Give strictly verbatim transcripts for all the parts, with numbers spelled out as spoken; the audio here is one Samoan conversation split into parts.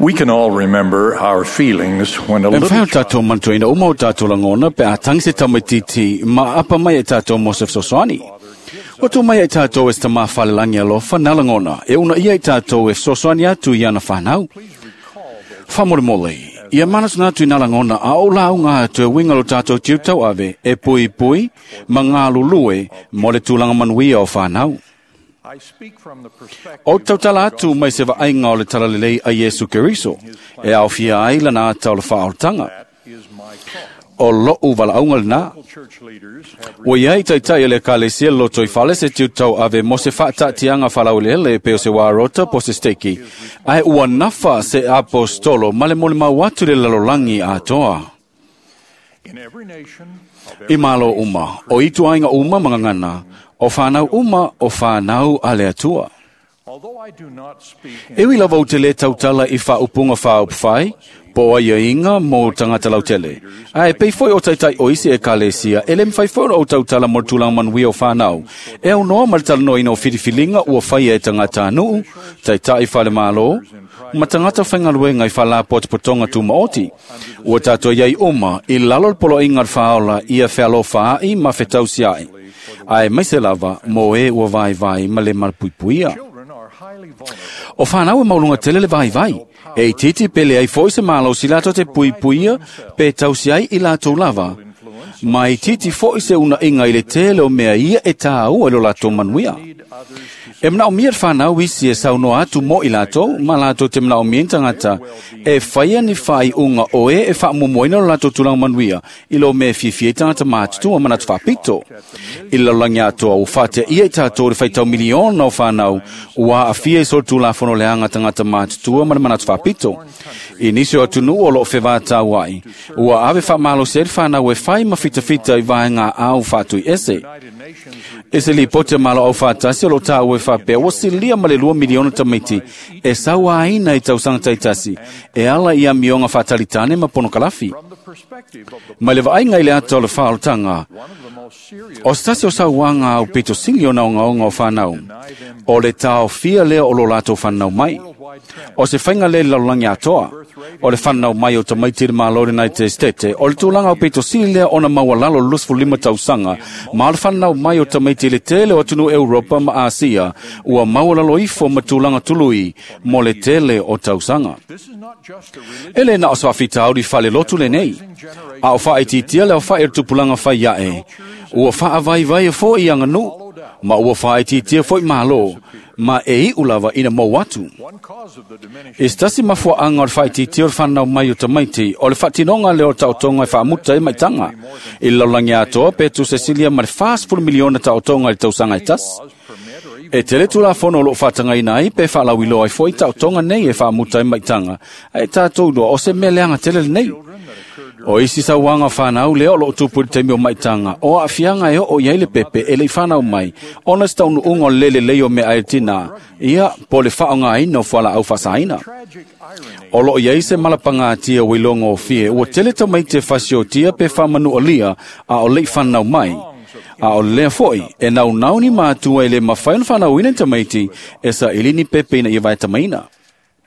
We can all remember our feelings when a E little mawhai o tātou mantuaina uma o tātou langona pe a tangi se tamaititi ma apa mai e tātou mo se fesoasoani. Ua tū mai e tātou e se tamā whalelangi alofa nā langona e una ia i tātou e fesoasoani atu i ana whanau. Whamoremole, ia manatu atu i nā langona a o lau ngā atu e winga lo tātou tiu tau ave e pui pui ma ngā lulue mo le tūlanga manuia o whanau. I speak from the perspective O tautala atu mai se vaaiga o le talalelei a Iesu Keriso, e aofia ai lana ata o le faaolataga. that is my calling. O lou valaauga lenā. Church leaders have Ua iai taitai e le ekalesia le lotoifale se tiutau ave mo se faataatiaga faalauelele pe o se uarota po o se steki, ae ua nafa se apostolo ma le molimau atu i le lalolagi atoa. in every nation of I malo uma, o ituaiga uma ma gagana, o whanau uma o whanau a le Atua. Although I do not speak in E ui lava ou te lē tautala i whaupunga whaupwhai, po ai inga mō tangata lautele. Ae pei foi o taitai o isi e kalesia, e le mwhai foi o tautala mo tūlanga manuia o whanau. E au noa ma le talanoina o whiriwhilinga ua whaia e tangata anuu, taitai whale malo, ma tangata whaingaluenga i whalapotopotonga tūmaoti. Ua tātou iai uma, i lalo le poloaiga o le whaola ia whealofa ai ma whetausiai. Ae maise lava, mō e ua vai vai ma le malapuipuia. children are highly vulnerable. O whanau e maulunga tele le vai vai. E i titi pele ai foi se malo si lato te pui puia pe tausi ai i lato lava. Ma i titi foi se una inga i le tele o mea ia e tāua i lo lato manuia. Need others to E mnao mia le whanau isi e saunoa atu mo i lato, ma lato te mnao mia tangata, e whaia ni whai unga o e e whaamumoina lo lato tūlanga manuia, i lo mea fiafia i tangata mātutua manatu whapito. I le lalolagi atoa ua faatea ia i tātou le faitau miliona o whanau, ua aafia i solitulafono leaga tagata matutua ma le manatu faapito. I nisi o atunuu o loo fevatau ai, ua ave faamalosi ai le fanau e fai ma fitafita i vaega ao faatuiese. United Nations E se lipoti a malo au faatasi o lo tāua e faapea ua silia ma le lua miliona tamaiti e sauaina i tausaga taitasi e ala i amioga faatalitane ma ponokalafi. from the perspective of the Ma le vaaiga i le ata o le faaolotaga, one of the most serious o se tasi o sauaga au pito sili o naogaoga o whanau, o le taofia lea o lo latou whanau mai. worldwide trend. O se whainga le lalolagi atoa, o le whanau mai o tamaiti i le Malo United States, o le tulaga o pito sili lea ona maualalo luasefulu lima tausaga, ma o le whanau mai o tamaiti i le tele o atunuu Europa ma Asia, ua maualalo ifo ma tulaga tului mo le tele o tausaga. This is not just a religious E le na o se faafitauli faalelotu lenei, a o faaitiitia le aofa'i o le tupulaga fai aʻe, ua faavaivai fo'i aganuu, ma ua faaitiitia fo'i mālō, ma e iʻu lava ina mou atu. one cause of the diminishing E se tasi mafuaʻaga o le faaitiitia o le fanau mai o tamaiti, o le faatinoga lea o le taotoga e faamuta ai maitaga. I le lalolagi atoa pe tusa silia ma le fasefulu miliona taotoga i le tausaga e tasi. laws permit or even E tele tulafono o loo faatagaina ai pe faalauiloa ai fo'i taotoga nei e faamuta ai maitaga, ae tatou iloa o se mea leaga tele lenei. O isi sauaga whanau lea o loo tupu i le taimi o maitaga, o aafiaga e oo i ai le pepe e le'i whanau mai, ona se taunuuga o le lelei o mea ai le tinā, ia po o le faaaogāina o fualaau faasaina. tragic irony O loo iai se malapagatia ua iloga ofie, ua tele tamaiti e fasiotia pe faamanualia a o le'i whanau mai. A o lea foi, e naunau ni matua e le mawhai ona whanauina i tamaiti, e sa ilini pepe ina ia vaetamaina.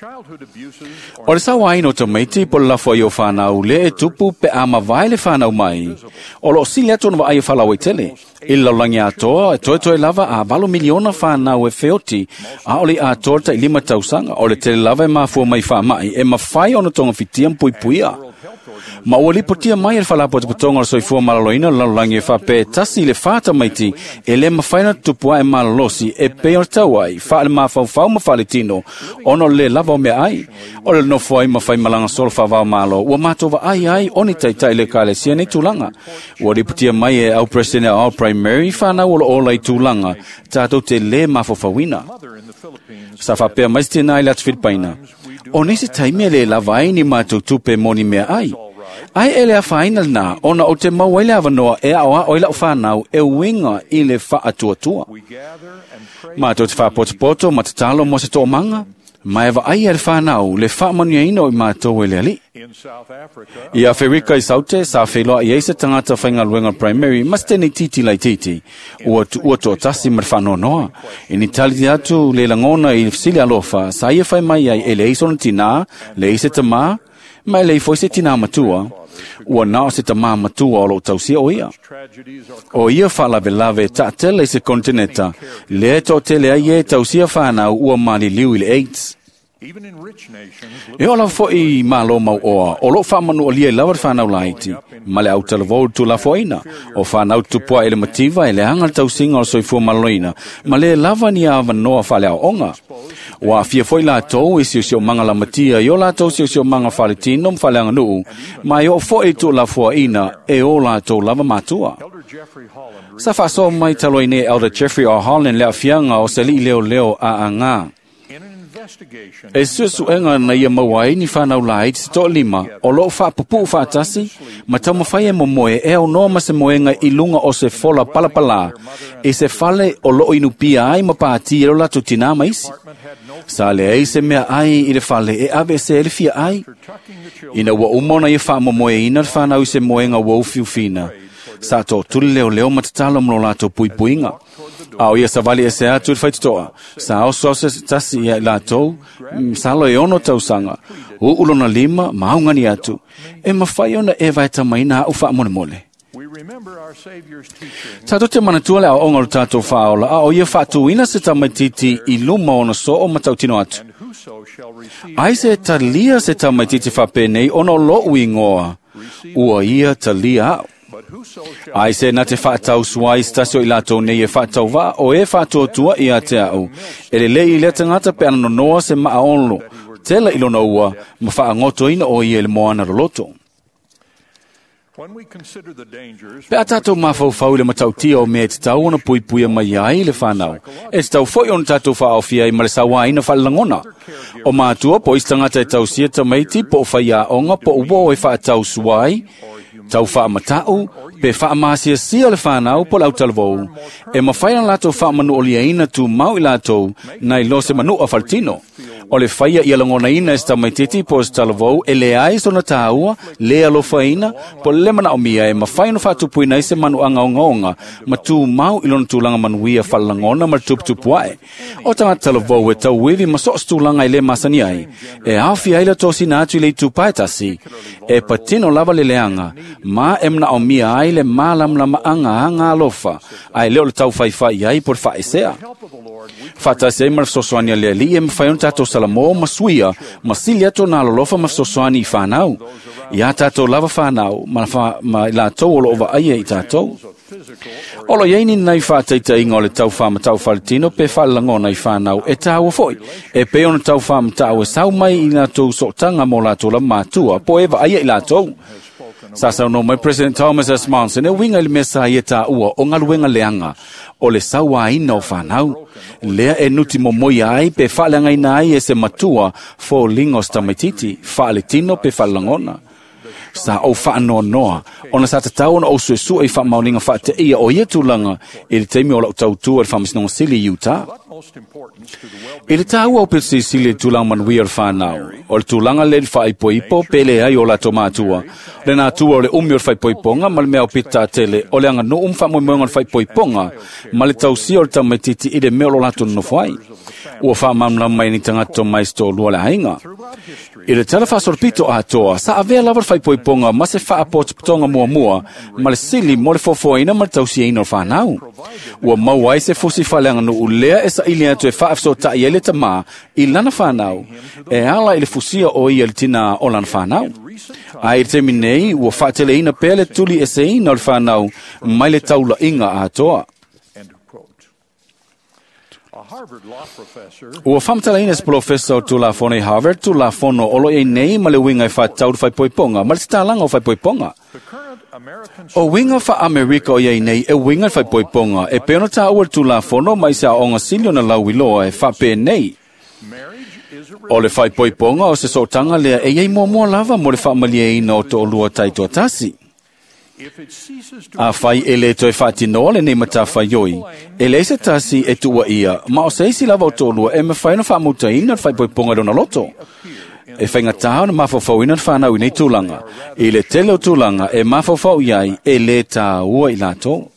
childhood abuses O are le sauaina o tamaiti po le lafo ai o whanau le e tupu pe a mavae le whanau mai. O loo sili atu ona vaai o faalauaitele. I le lalolagi atoa, e toetoe lava a valo miliona whanau e feoti, a o le atoa le tailima tausaga, o le tele lava e mafua mai faamai, e mafai ona togafitia ma puipuia. World Health Organization Ma ua lipotia mai e le faalapotopotoga o le soifua maloloina o le lalolagi e faapea e tasi i le whā tamaiti e le mafai ona tupu ae malolosi e pei o le tau ai, faale mafaufau ma faaletino, ona o le lē lava o mea ai. O le nofo ai ma faimalaga solo faavao malo, ua matou vaai ai o ni taitai le ekalesia nei tulaga. Ua lipotia mai e au president au primary whanau o lo ola i tulaga, tātou te lē mafaufauina. mother in the Philippines Sa faapea mai se tinā i le atu Filipaina. O nisi taimi e le lava ai ni mātou tupe mo ni mea ai. Ai e le afaina lenā, ona o te mau ai le avanoa e ao ao i lau whanau e uiga i le faatuatua. we gather and pray Mātou te whaapotopoto ma tatalo mo se to'omaga, Ma e vaai a le whanau le whaamanuiaina o i mātou e le Alii. In South Africa, I Awherika i Saute, sa wheloa i eisa tangata whaingaluenga primary, mas tēnei titi lai titi. Ua tuua toatasi ma le whaanoanoa. I ni tali atu le langona i sili alofa, sa ia whai mai ai e le eisa ona tina, le eisa tamā, ma e le ifo se tina matua. Ua nao se tamā matua o lo tausia o ia. tragedies are O ia whaalawelawe taatele i se kontineta, le tōtele ai e tausia whanau ua maliliu i le AIDS. even in rich nations. E ola foi malo mau oa, o lo whaamanu o lia i lawa le whanau laiti, ma le autalavou tu lafoaina, o whanau tupua e le mativa e le anga le tausinga o le soifua maloloina, ma le lava ni a wanoa whale ao onga. Ua afia foi latou i siosiomaga lamatia i o latou siosiomaga faletino ma faleaganuu, ma e oo foi tu lafoaina e o latou lava matua. Elder Jeffrey Holland Sa whaasoa mai taloi nei Elder Jeffrey R. Holland le afianga o se lii leo leo a anga. in an investigation E suesuega na ia maua ai ni whanau lai te toa lima, o loo whaapupu whaatasi, ma taumawhai e momoe e au noa ma se moenga i lunga o se fola palapala, e se fale o loo inupia ai ma pāti e lo lato tina ma isi. department had no Sa le ei se mea ai i le fale e ave se ele fia ai. after tucking the children Ina ua uma ona ia whaamomoe ina le whanau i se moenga ua ufiufina. Sa tō tuli leo leo matatalo mlo lato puipuinga. Ao ia savali e se atu i le whaititoa. Sa ao soa se tasi ia i latou, mm, sa lo e ono tausanga. Uulona lima, maungani atu. E mawhai ona e vaeta maina au whaamolemole. We remember our Savior's teaching Tātou te manatua le ao onga o tātou whaola, a o ia whaatuina se tamaititi i luma ona so o matautino atu. and whoso shall receive Ai se talia se tamaititi whapenei ona o lou ingoa. Ua ia talia au. but whoso shall Ai se na te whaatau suai stasio i latou nei e whaatau vaa o e whaatuatua i a te au. E le lei i lea tangata pe ananonoa se maa onlo. Tela i lona ua, ma whaangoto ina o ia i le moana loloto. when we consider the dangers Pe a tātou mawhauwhau i le matautia o mea e te tau ona puipuia mai ai le whanau. E te tau foi ona tātou whaofia i ma le sawaina whalalangona. O mātua po isi tangata e tausia tamaiti po o whaiaonga po o wo e whaatau suai, tau whaamatau, pe whaamasiasia le whanau po lau talavou. E mawhai na latou whaamanu o liaina tu mau i latou, nai lo se manu a faltino. O le whaia ia langona ina e se tamaititi po se talavou e le ai sona tāua, le alofaina, po le mana o mia e mawhai no whaatupuina i se manu anga ongaonga, ma tū mau i lona tūlanga manuia whalalangona ma le tuputupu ae. O tangata talavou e tauivi ma so se tūlanga i le masani ai, e awhi ai la tōsina atu i le itu paetasi, e patino lava le leanga, ma e mna o mia ai le mālamlama anga anga alofa, ai leo le tau whaiwhai ai po le whaesea. help of the Lord we Whatasi ai ma le fesoasoani a le Alii e mawhai ona tātou salamo ma suia, ma sili atu nā lolofa ma fesoasoani i whanau. Ia tātou lava whanau, ma, wha, ma i latou o lo ova aia i tātou. of physical or Olo iei ni nei whāteiteinga o le tau whāmatau whaletino pe whalalangona i whanau e tāua foi. E pe ona tau whāmatau e sau mai i lātou sootanga mō lātou la mātua, po e aia i lātou. Sa sau no mai President Thomas S. Monson e winga i le mea sa ia tāua o ngaluenga leanga o le sauaina o whanau. Lea e nuti momoia ai pe whaaleangaina ai e se matua fōlinga o se tamaititi, whaaletino pe whaalalangona. Sa o whaanoanoa, ona sa tatau ona o suesua i whaamauninga whaateia ia o ia tūlanga i le teimi o lau tautua i le whamasinoga sili i Utah. utmost importance to the well-being I le tāua o pete sisili le tūlanga manuia o le whanau, o le tūlanga le le whaipoipo pele ai o lato mātua. Le nā tua o le umi o le whaipoiponga ma le mea o pete tātele o le anga no um whaamoemoenga o le whaipoiponga ma le tausia o le tamaititi i le mea o lo lato nofo ai. Ua whaamamlama mai ni tangata mai sto lua le ainga. throughout history I le tala whasorpito atoa, sa avea lava le whaipoiponga ma se whaapotopotonga mua mua, ma le sili mo le fofoina ma le tausiaina o le whanau. Ua mau ai se fusi whaleanga no ulea e sa ili atu e whaafsotai ai le tamā i lana whanau, e ala i le fusia o ia le tina o lana whanau. Ai i te nei, ua whaateleina pea le tuli e seina o le whanau mai le taula inga atoa. end of quote. A Harvard law professor Ua whamtalaina se profesa o Tulafono i Harvard, Tulafono o lo e nei ma le winga i whatau whaipoiponga, ma le titalanga o whaipoiponga. the current American O winga wha Amerika o iei nei e winga i whaipoiponga, e peona tā ua Tulafono mai se aonga silio na lau iloa e whape nei. marriage is a O le whaipoiponga o se sootanga lea e iei mua mua lava mo le whaamalia ina o tō lua taitoa tasi. A fai e le toe faatinoa lenei matafaioi, e leai se tasi e tuuaia, ma o se isi lava o toalua e mafai ona faamutaina le faaipoipoga i lona loto. E faigata ona mafaufauina le fanau i nei tulaga. I le tele o tulaga e mafaufau i ai e lē tāua i latou.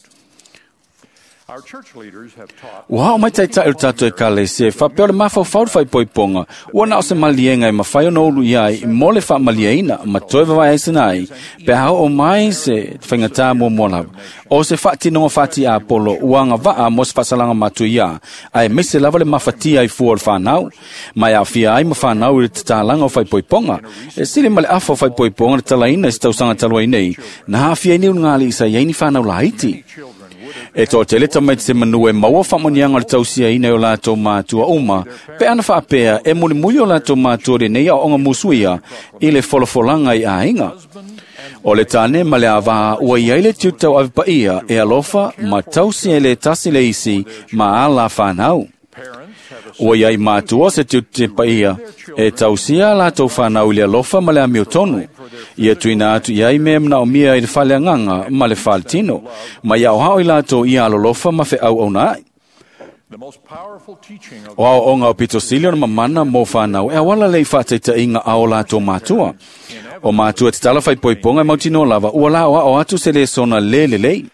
Ua ao mai taitai o le tatou ekalesia e faapea o le mafaufau le faaipoipoga ua na o se maliega e mafai ona ulu i ai mo le faamalieina ma toe vavaeaisina ai pe a oo mai se faigatā muamua lava. O se faatinoga faatiapolo ua agavaa mo se faasalaga matuia, aemaise lava le mafatia ai fua o le fanau, ma e aafia ai ma fanau i le tatalaga o faaipoipoga. E sili ma le afa o faaipoipoga le talaina i se tausaga talu ai nei, na aafia ai ni ulugalii sa i ai ni fanau laiti. E toatele tamaiti se manu e maua faamanuiaga o le tausiaina e o latou matua uma, pe ana faapea e mulimuli o latou matua lenei aoaoga musuia i le folafolaga i aiga. O le tane ma le avā ua i ai le tiute tauave paia e alofa ma tausi e le tasi le isi ma ala fanau. Ua i ai matua se tiute paia e tausia a latou fanau i le alofa ma le amiotonu. Ia tuuina atu i ai mea manaomia i le faleagaga ma le faletino, ma ia aoao i latou ia alolofa ma feauauna ai. O aoaoga o pito sili ona mamana mo fanau e auala lea i faataitaiga a o latou matua. O matua e tatala faaipoipoga e mautinoa lava ua laoao atu se lesona lē lelei.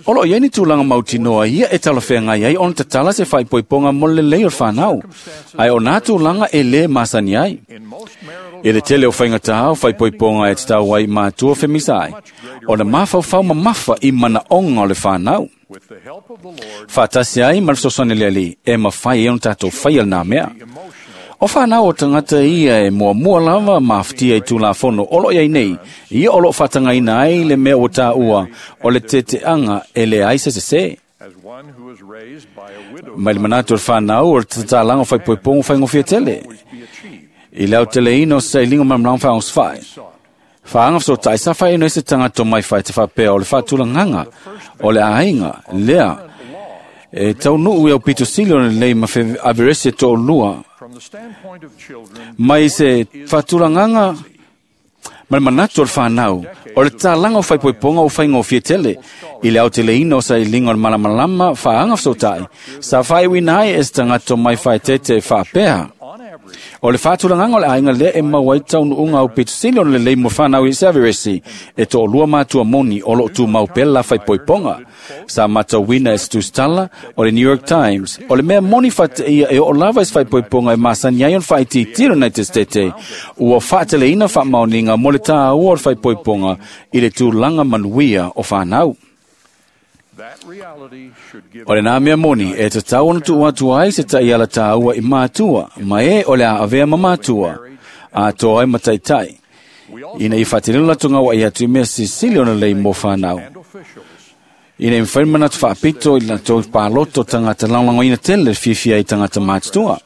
O loo i ai ni tulaga mautinoa ia e talafeagai ai ona tatala se faaipoipoga mo le lelei o le fanau, ae o nā tulaga e lē masani ai. I le tele o faigatā o faaipoipoga e tatau ai matua femisa ai, ona mafaufau mamafa i manaoga o le fanau. Faatasi ai ma le fesoasoani a le Alii e mafai ai ona tatou faia lenā mea. O fanau o tagata ia e muamua lava mafatia i Tulafono o loo i ai nei, ia o loo faatagaina ai le mea ua taua o le teteaga e leai se sesē. Mai le manatu o le fanau o le tatalaga o faaipoipoga faigofie tele. I le aoteleina o se sailiga malamalama faaogosefai, faaga fesootai sa faailoa ai se tagata o mai fai te faapea o le faatulagaga o le aiga lea e taunuu i aupito sili ona lelei ma averesi e toalua mai se faatulagaga ma le manatu o le fanau o le tatalaga o faaipoipoga ua faigofie tele. I le aoteleina o sailiga o le malamalama faaga fesootai sa faaiuina ai e se tagata o mai faaeteete faapea o le faatulagaga o le aiga lea e maua ai taunuuga aupito sili ona lelei mo fanau i se averesi e toalua matua moni o loo tumau pea le la faaipoipoga. Sa matauina e se tusitala o le New York Times o le mea moni faateia e oo lava i se faaipoipoga e masani ai ona faaitiitia le United States ua faateleina faamaoniga mo le tāua o le faaipoipoga i le tulaga manuia o fanau. O lenā mea moni e tatau ona tuu atu ai se taiala tāua i matua, ma e o le a avea ma matua, atoa ai ma taitai, ina ia faatinoina latou gauai atu i mea silisili ona lelei mo fanau. Ina ia mafai ona manatu faapito i latou paloto tagata lagolagoina tele le fiafia ai tagata matutua.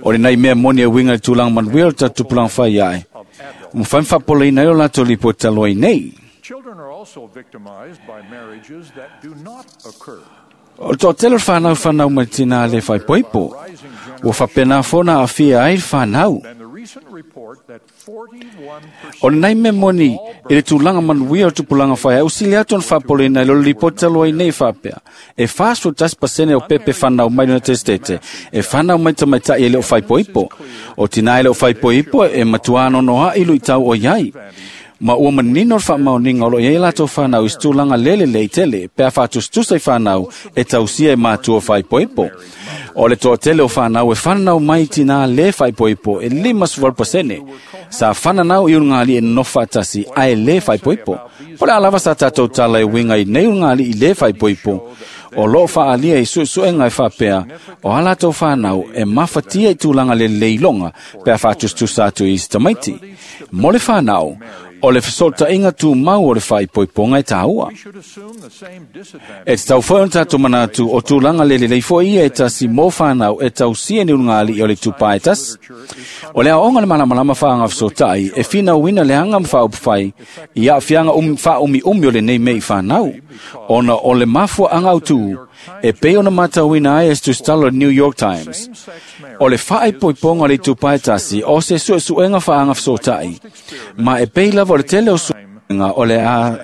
O lenei mea moni e uiga i le tulaga manuia o le tatou tupulaga fai ae, ua mafai ona faapolaina ai o latou lipoti talu ai nei. Children are also victimized by marriages that do not occur. O le toatele o le fanau fanau mai tinā le faaipoipo, ua faapena foi ona aafia ai le fanau. Than the recent report that forty-one percent O lenei mea moni i le tulaga manuia o le tupulaga fai ai, ua sili atu ona faapolaina i lo le lipoti talu ai nei faapea. E fasefulu tasi pasene o pepe fanau mai le United States e fanau mai tamaitai e le o faaipoipo. O tinā e le o faaipoipo e matuā nonoa'i luitau o i ai. Ma ua manino le faamaoniga o loo i ai latou fanau i se tulaga lē lelei tele pe a faatusatusa i fanau e tausia e matua faaipoipo. O le toatele o fanau e fananau mai tinā lē faaipoipo e limasefulu valu pasene sa fananau i ulugalii e nonofo faatasi ae lē faaipoipo. Po le a lava sa tatou tala e uiga i nei ulugalii lē faaipoipo, o loo faaalia i suesuega e faapea o a latou fanau e mafatia i tulaga lelei iloga pe a faatusatusa atu i isi tamaiti. Mo le fanau, o le fesootaiga tumau o le faaipoipoga e tāua. We should assume the same disadvantage E tatau foi ona tatou manatu o tulaga lelelei foi ia e tasi mo fanau e tausia ni ulugalii o le itupa e tasi. O le aoga le malamalama faagafesootai e finauina le aga ma faaupufai i aafiaga umi faaumiumi o lenei mea i fanau, ona o le mafuaaga autū e pei ona matauina ai e se tusitala o le New York Times. Same-sex marriage O le faaipoipoga o le itupa e tasi o se suesuega faagafesootai, ma e pei lava o le tele o time o le a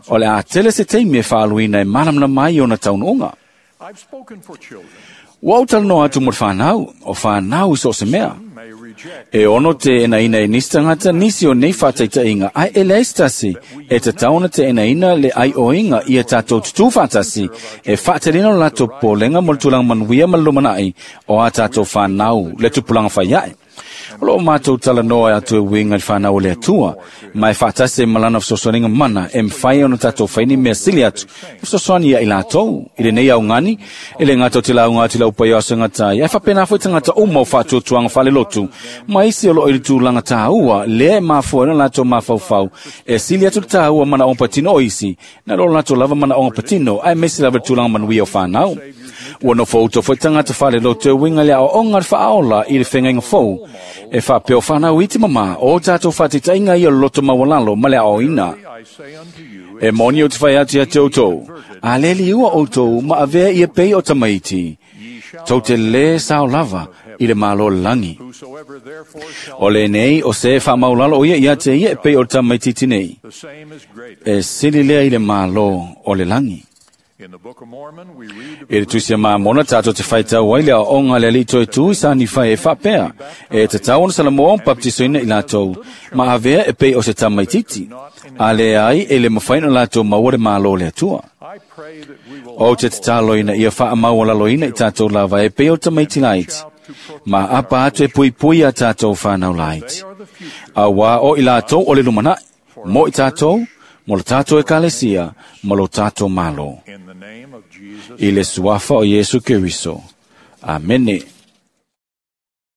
o le a tele se taimi e faaluina e malamalama ai ona taunuuga. I've spoken for children. Ua ou talanoa atu mo le fanau, o fanau i so o se mea. May reject E ono teenaina e nisi tagata nisi o nei faataitaiga, ae e leai se tasi e tatau ona teenaina le aioiga ia tatou tutū faatasi e faateleina o latou popolega mo le tulaga manuia ma le lumanai o a tatou fanau le tupulaga faiae. O loo matou talanoa atu e uiga i le fanau o le Atua, ma e faatasi ai ma lana fesoasoaniga mana e mafai ona tatou faini mea sili atu e fesoasoani ia i latou i lenei augani e le gata o te lauga atu i lau paia o aso e gata ai, ae faapena foi tagata uma o faatuatuaga faalelotu ma isi o loo i le tulaga tāua lea e mafua ai ona latou mafaufau e sili atu le tāua manaoga patino o isi na lo latou lava manaoga patino aemaise lava le tulaga manuia o fanau. Ua nofo uto foi tagata faalelotu e uiga i le aoaoga le faaola i le fegaiga fou e faapea o fanau iti mamā o tatou faataitaiga ia o le loto maualalo ma le aoaoina. I say unto you, E moni ou te fai atu ia te outou, a le liua outou ma avea ia pei o tamaiti, ye shall tou te lē sao lava i le malo o le lagi. Whosoever therefore shall O lenei o se faamaulalo o ia ia te ia e pei o le tamaititi nei, the same is greater. e sili lea i le malo o le lagi. In the Book of Mormon we read of E le tusi a Mamona tātou te whaitau ai le aoga le alii toe tu i sa ni whai e whapea. E te tau ona salamoa o baptisoina i latou, ma avea e pei o se tamaititi. A le ai e le mawhai no latou maua le malo o le Atua. I pray that we will O te tataloina ia whaamaua laloina i tātou lava e pei o tamaiti laiti. Ma apa atu e pui pui a tātou whānau laiti. are the future A wā o i latou o le lumanai, mo i tātou, mo le tātou ekalesia, ma lo tātou malo. in the name of Jesus. I le suafa o Iesu Keriso. Amene.